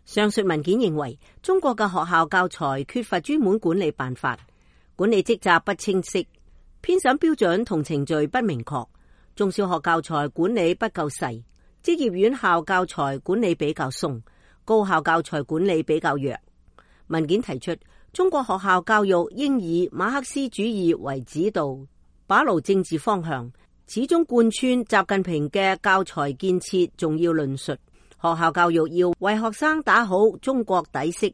上述文件認為，中國嘅學校教材缺乏專門管理辦法，管理職責不清晰，編審標準同程序不明確，中小學教材管理不夠細，職業院校教材管理比較鬆，高校教材管理比較弱。文件提出，中國學校教育應以馬克思主義為指導，把牢政治方向，始終貫穿習近平嘅教材建設重要論述。學校教育要為學生打好中國底色，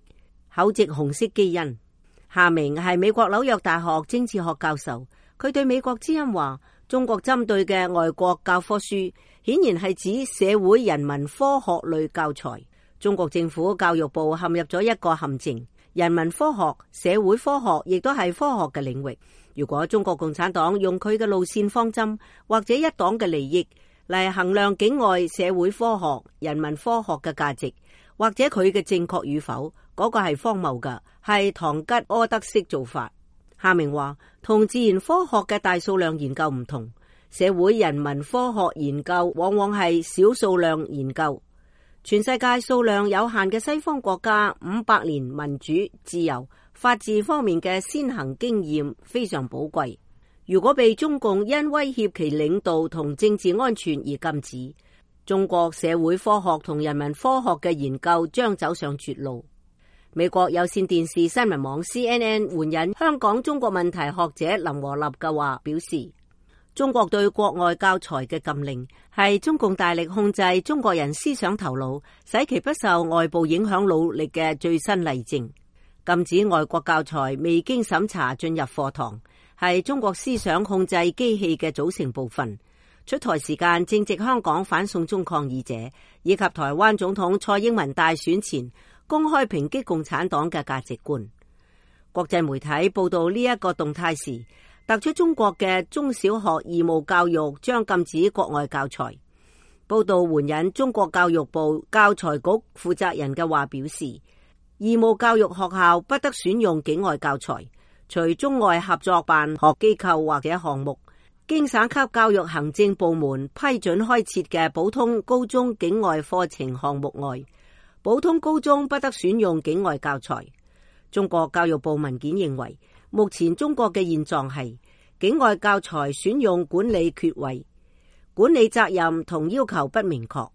厚植紅色基因。夏明係美國紐約大學政治學教授，佢對美國之音話，中國針對嘅外國教科書顯然係指社會人文科學類教材。中國政府教育部陷入咗一個陷阱，人文科學、社會科學亦都係科學嘅領域。如果中國共產黨用佢嘅路線方針或者一黨嘅利益嚟衡量境外社會科學、人文科學嘅價值，或者佢嘅正確與否，嗰個係荒謬嘅，係堂吉訶德式做法。夏明話，同自然科學嘅大數量研究唔同，社會人文科學研究往往係小數量研究。全世界數量有限嘅西方國家500年民主、自由、法治方面嘅先行經驗非常寶貴。如果被中共因威脅其領導同政治安全而禁止，中國社會科學同人文科學嘅研究將走上絕路。美國有線電視新聞網 CNN 援引香港中國問題學者林和立嘅話表示，中國對國外教材嘅禁令係中共大力控制中國人思想頭腦，使其不受外部影響努力嘅最新例證。禁止外國教材未經審查進入課堂，係中國思想控制機器嘅組成部分。出台時間正值香港反送中抗議者以及台灣總統蔡英文大選前公開抨擊共產黨嘅價值觀。國際媒體報道呢一個動態時，突出中國嘅中小學義務教育將禁止國外教材。報道援引中國教育部教材局負責人嘅話表示，義務教育學校不得選用境外教材，除中外合作辦學機構或者項目經省級教育行政部門批准開設嘅普通高中境外課程項目外，普通高中不得選用境外教材。中國教育部文件認為，目前中國嘅現狀係境外教材選用管理缺位，管理責任同要求不明確。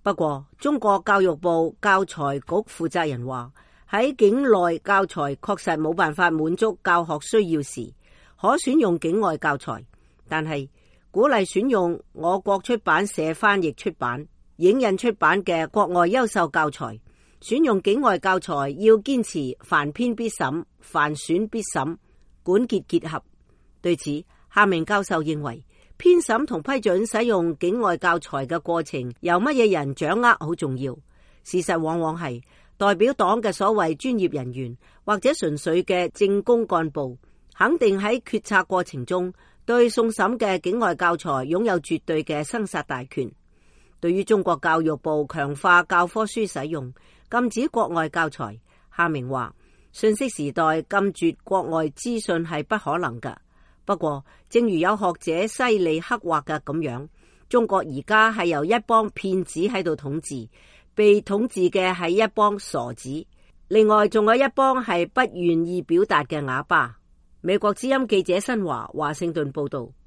不過，中國教育部教材局負責人話，喺境內教材確實冇辦法滿足教學需要時，可選用境外教材，但係鼓勵選用我國出版社翻譯出版、影印出版嘅國外優秀教材。選用境外教材要堅持凡編必審、凡選必審、管結結合。對此，夏明教授認為，編審同批准使用境外教材嘅過程由乜嘢人掌握好重要。事實往往係代表黨嘅所謂專業人員或者純粹嘅政工幹部，肯定喺決策過程中對送審嘅境外教材擁有絕對嘅生殺大權。對於中國教育部強化教科書使用、禁止國外教材，夏明話，信息時代禁絕國外資訊係不可能㗎。不過，正如有學者犀利刻畫嘅咁樣，中國而家係由一幫騙子喺度統治，被統治嘅係一幫傻子，另外仲有一幫係不願意表達嘅啞巴。美國之音記者新華，華盛頓報道。